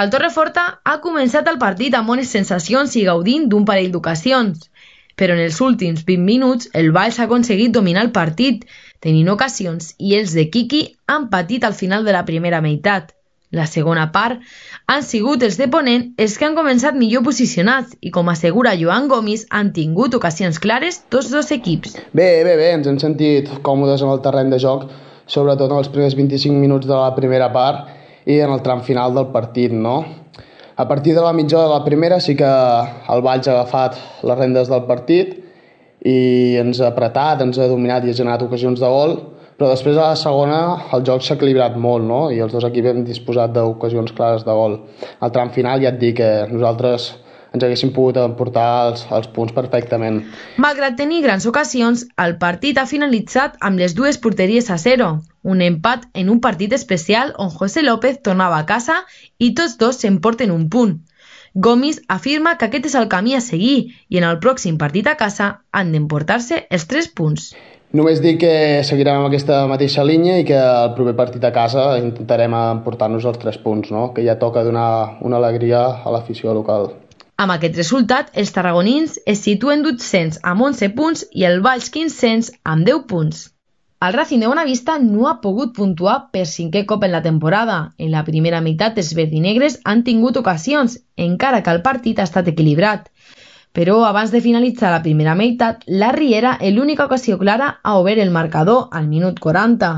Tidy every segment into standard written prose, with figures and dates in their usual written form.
El Torreforta ha començat el partit amb bones sensacions i gaudint d'un parell d'ocasions, però en els últims 20 minuts el Valls ha aconseguit dominar el partit, tenint ocasions, i els de Quiqui han patit al final de la primera meitat. La segona part han sigut els de Ponent els que han començat millor posicionats i, com assegura Joan Gomis, han tingut ocasions clares tots dos equips. Bé, ens hem sentit còmodes en el terreny de joc, sobretot en els primers 25 minuts de la primera part i en el tram final del partit, no? A partir de la mitja hora de la primera sí que el Valls ha agafat les rendes del partit i ens ha apretat, ens ha dominat i ha generat ocasions de gol, però després a la segona el joc s'ha equilibrat molt, no? I els dos equips hem disposat d'ocasions clares de gol. Al tram final ja et dic que nosaltres ens haguéssim pogut emportar els punts perfectament. Malgrat tenir grans ocasions, el partit ha finalitzat amb les dues porteries a 0, un empat en un partit especial on José López tornava a casa i tots dos s'emporten un punt. Gomis afirma que aquest és el camí a seguir i en el pròxim partit a casa han d'emportar-se els 3 punts. Només dic que seguirem amb aquesta mateixa línia i que el proper partit a casa intentarem emportar-nos els 3 punts, no? Que ja toca donar una alegria a l'afició local. Amb aquest resultat, els tarragonins es situen 200 amb 11 punts i el Valls 500 amb 10 punts. El Racing de Bonavista no ha pogut puntuar per 5è cop en la temporada. En la primera meitat els verdinegres han tingut ocasions, encara que el partit ha estat equilibrat. Però abans de finalitzar la primera meitat, la Riera, l'única ocasió clara, ha obert el marcador al minut 40.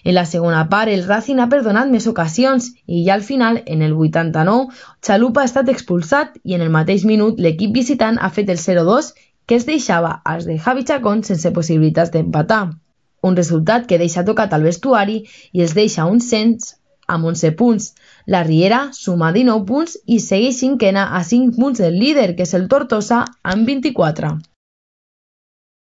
En la segona part, el Racing ha perdonat més ocasions i ja al final, en el 89, Chalupa ha estat expulsat i en el mateix minut l'equip visitant ha fet el 0-2 que es deixava als de Javi Chacón sense possibilitats d'empatar. Un resultat que deixa tocat al vestuari i els deixa un cens amb 11 punts. La Riera suma 19 punts i segueix cinquena a 5 punts del líder, que és el Tortosa, amb 24.